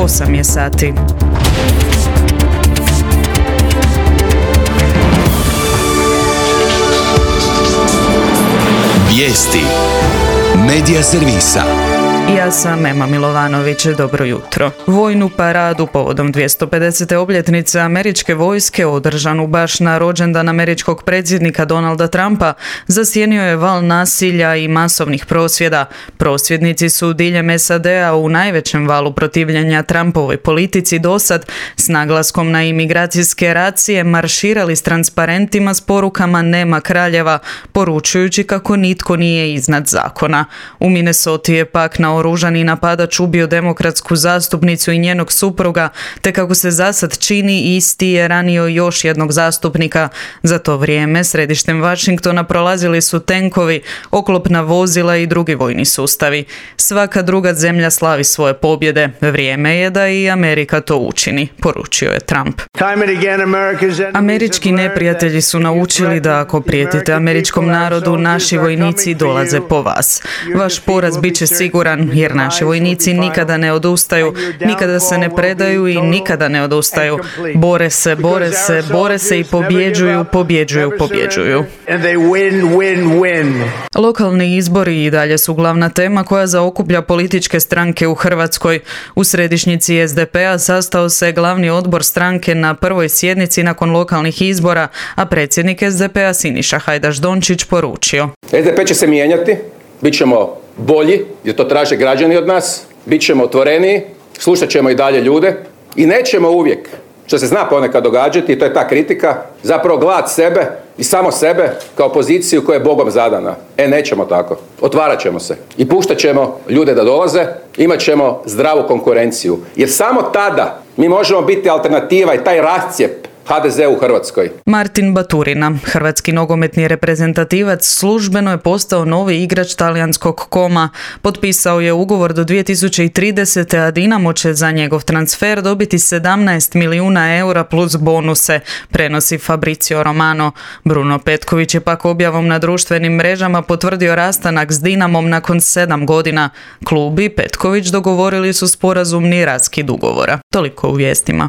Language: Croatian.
8 je sati. Vijesti Medija servisa. Ja sam Ema Milovanović, dobro jutro. Vojnu paradu povodom 250. obljetnice američke vojske održanu baš na rođendan američkog predsjednika Donalda Trumpa zasjenio je val nasilja i masovnih prosvjeda. Prosvjednici su diljem SAD-a u najvećem valu protivljenja Trumpovoj politici dosad s naglaskom na imigracijske racije marširali s transparentima s porukama "Nema kraljeva", poručujući kako nitko nije iznad zakona. U Minnesoti je pak naoružani napadač ubio demokratsku zastupnicu i njenog supruga, te kako se zasad čini isti je ranio još jednog zastupnika. Za to vrijeme središtem Washingtona prolazili su tenkovi, oklopna vozila i drugi vojni sustavi. Svaka druga zemlja slavi svoje pobjede. Vrijeme je da i Amerika to učini, poručio je Trump. Američki neprijatelji su naučili da ako prijetite američkom narodu, naši vojnici dolaze po vas. Vaš poraz bit će siguran, jer naši vojnici nikada ne odustaju, nikada se ne predaju i nikada ne odustaju. Bore se i pobjeđuju. Lokalni izbori i dalje su glavna tema koja zaokuplja političke stranke u Hrvatskoj. U središnjici SDP-a sastao se glavni odbor stranke na prvoj sjednici nakon lokalnih izbora, a predsjednik SDP-a Siniša Hajdaš Dončić poručio: SDP će se mijenjati, bit ćemo bolji, jer to traže građani od nas, bit ćemo otvoreniji, slušat ćemo i dalje ljude i nećemo uvijek, što se zna ponekad događati, i to je ta kritika, zapravo gledat sebe i samo sebe kao poziciju koja je Bogom zadana. Nećemo tako. Otvarat ćemo se i puštat ćemo ljude da dolaze, imat ćemo zdravu konkurenciju, jer samo tada mi možemo biti alternativa i taj rascjep HDZ u Hrvatskoj. Martin Baturina, hrvatski nogometni reprezentativac, službeno je postao novi igrač talijanskog Koma. Potpisao je ugovor do 2030. a Dinamo će za njegov transfer dobiti 17 milijuna eura plus bonuse, prenosi Fabrizio Romano. Bruno Petković je pak objavom na društvenim mrežama potvrdio rastanak s Dinamom nakon 7 godina. Klub i Petković dogovorili su sporazumni raskid ugovora. Toliko u vijestima.